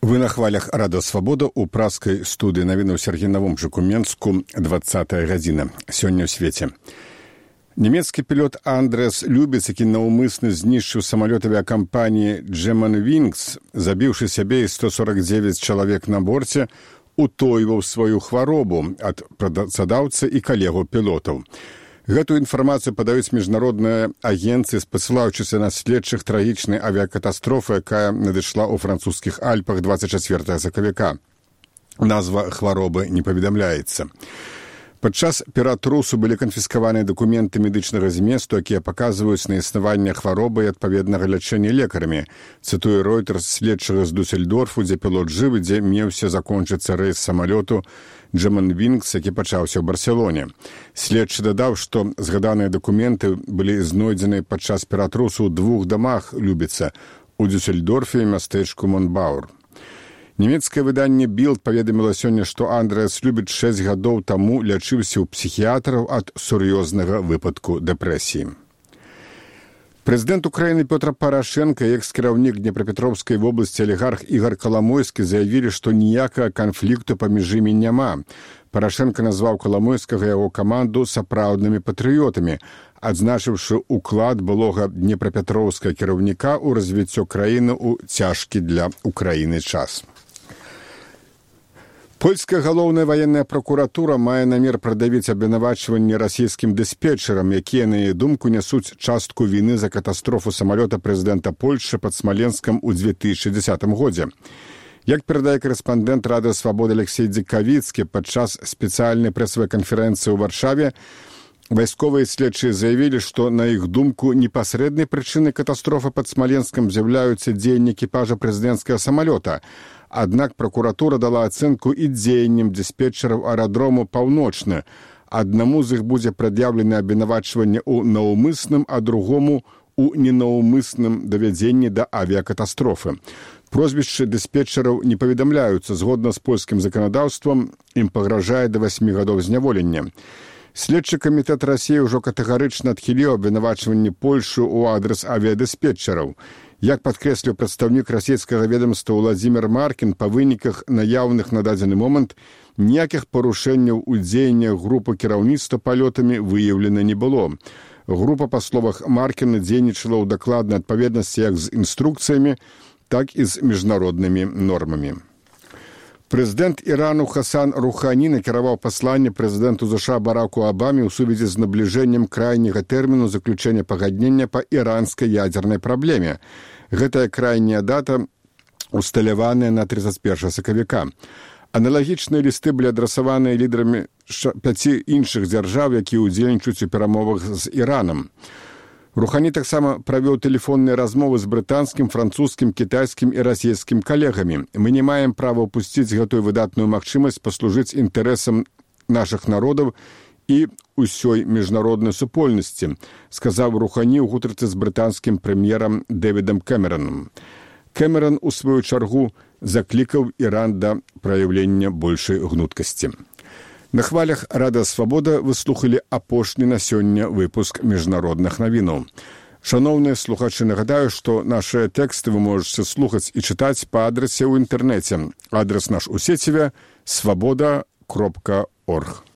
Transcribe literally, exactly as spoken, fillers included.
Вы на хвалях Радио Свобода у праскай студыі навіны ў Сергейнавом Жукуменску, двадцатая гадзіна. Сёння ў свеце. Нямецкі пілот Андрэас Любец, які наўмысна знішчыў самалёт авіакампаніі Germanwings, забіўшы сябе і сто сорок девять чалавек на борце, утойваў сваю хваробу ад працадаўцы і калегаў пілотаў. Гэтую інфармацыю падаюць міжнародныя агенцыі, спасылаючыся на следчых трагічнай авіякатастрофы, якая надышла ў французскіх Альпах двадцать чацвёртага сакавіка. Назва хваробы не паведамляецца. Падчас ператрусу былі канфіскаваныя дакументы медычнага зместу, якія паказваюць на існаванне хваробы і адпаведнага лячэння лекарамі. Цытуе Reuters следчага з Дусельдорфу, дзе пілот жывы, дзе меўся закончыцца рэйс самалёту Germanwings, які пачаўся ў Барселоне. Следчы дадаў, што згаданыя дакументы былі знойдзены падчас ператрусу ў двух дамах Любіца у Дюссельдорфе і мястэчку Монбаур. Нямецкае выданне Bild паведаміла сёння, што Андрэас Любец шэсць гадоў таму лячыўся ў псіхіятраў ад сур'ёзнага выпадку дэпрэсіі. Прэзідэнт Украіны Пётр Парашенка і экс-кіраўнік Днепрапетровскай вобласці алігарх Ігар Каламойскі заявілі, што ніякага канфлікту паміж імі няма. Парашенка назваў Каламойскага і яго каманду сапраўднымі патрыётамі, адзначыўшы ўклад былога днепрапетроўскага кіраўніка ў развіццё краіны ў цяжкі для Украіны час. Польская галоўная ваенная пракуратура мае намер прадавіць абвінавачванні расійскім дыспетчарам, якія, на яе думку, нясуць частку віны за катастрофу самалёта прэзідэнта Польшчы пад Смаленскам у две тысячы дзесятым годзе. Як перадае корэспандэнт Радыё Свабода Алексей Дзікавіцкі, падчас спецыяльнай прэсавай канферэнцыі ў Варшаве вайсковыя следчыя заявілі, што, на іх думку, непасрэднай прычынай катастрофы пад Смаленскам з'яўляюцца дзеянні экіпажа прэзідэнцкага самалёта. Аднак пракуратура дала ацэнку і дзеянням дыспетчараў аэрадрому «Паўночны». Аднаму з іх будзе прад'яўлена абвінавачванне ў наўмысным, а другому ў ненаўмысным давядзенні да авіякатастрофы. Прозвішчы дыспетчараў не паведамляюцца. Згодна з польскім заканадаўствам, ім пагражае да васьмі гадоў зняволення. Следчы камітэт Расіі ўжо катэгарычна адхіліў абвінавачванні Польшы ў адрас авіядыспетчараў. Як падкрэсліў прадстаўнік расійскага ведамства Владзімір Маркін, па выніках наяўных на дадзены момант ніякіх парушэнняў у дзеяннях групы кіраўніцтва палётамі выяўлена не было. Група, па словах Маркіна, дзейнічала ў дакладнай адпаведнасці як з інструкцыямі, так і з міжнароднымі нормамі. Прэзідэнт Ірану Хасан Рухані накіраваў пасланне прэзідэнту ЗША Бараку Абаме ў сувязі з набліжэннем крайняга тэрміну заключэння пагаднення па іранскай ядзернай праблеме. Гэтая крайняя дата усталяваная на тридцать первого сакавіка. Аналагічныя лісты былі адрасаваныя лідарамі пяці іншых дзяржаў, якія ўдзельнічаюць у перамовах з Іранам. Рухані таксама правёў тэлефонныя размовы з брытанскім, французскім, кітайскім і расійскім калегамі. Мы не маем права ўпусціць гэтую выдатную магчымасць паслужыць інтарэсам нашых народаў і ўсёй міжнароднай супольнасці, сказаў Рухані ў гутарцы з брытанскім прэм'ерам Дэвідам Кэмеранам. Кэмеран, у сваю чаргу, заклікаў Іран да праяўлення большай гнуткасці. На хвалях Радыё Свабода вы слухалі апошні на сёння выпуск міжнародных навінаў. Шаноўныя слухачы, нагадаю, што нашыя тэксты вы можаце слухаць і чытаць па адрасе ў інтэрнэце. Адрас наш у сеціве свабода кропка орг.